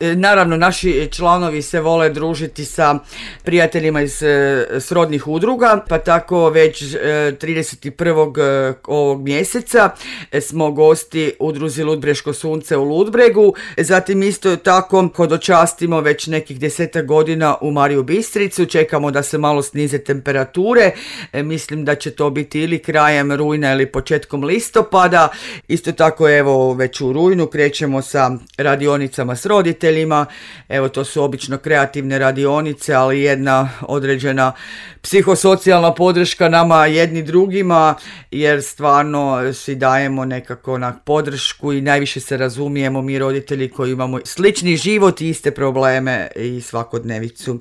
Naravno, naši članovi se vole družiti sa prijateljima iz srodnih udruga, pa tako već 31. ovog mjeseca smo gosti udruzi Ludbreško sunce u Ludbregu. Zatim isto tako hodočastimo već nekih 10 godina u Mariju Bistricu, čekamo da se malo snize temperature, mislim da će to biti ili krajem rujna ili početkom listopada. Isto tako evo već u rujnu krećemo sa radionicama s roditeljima. Evo, to su obično kreativne radionice, ali jedna određena psihosocijalna podrška nama jedni drugima, jer stvarno si dajemo nekako na podršku i najviše se razumijemo mi roditelji koji imamo slični život i iste probleme i svakodnevicu.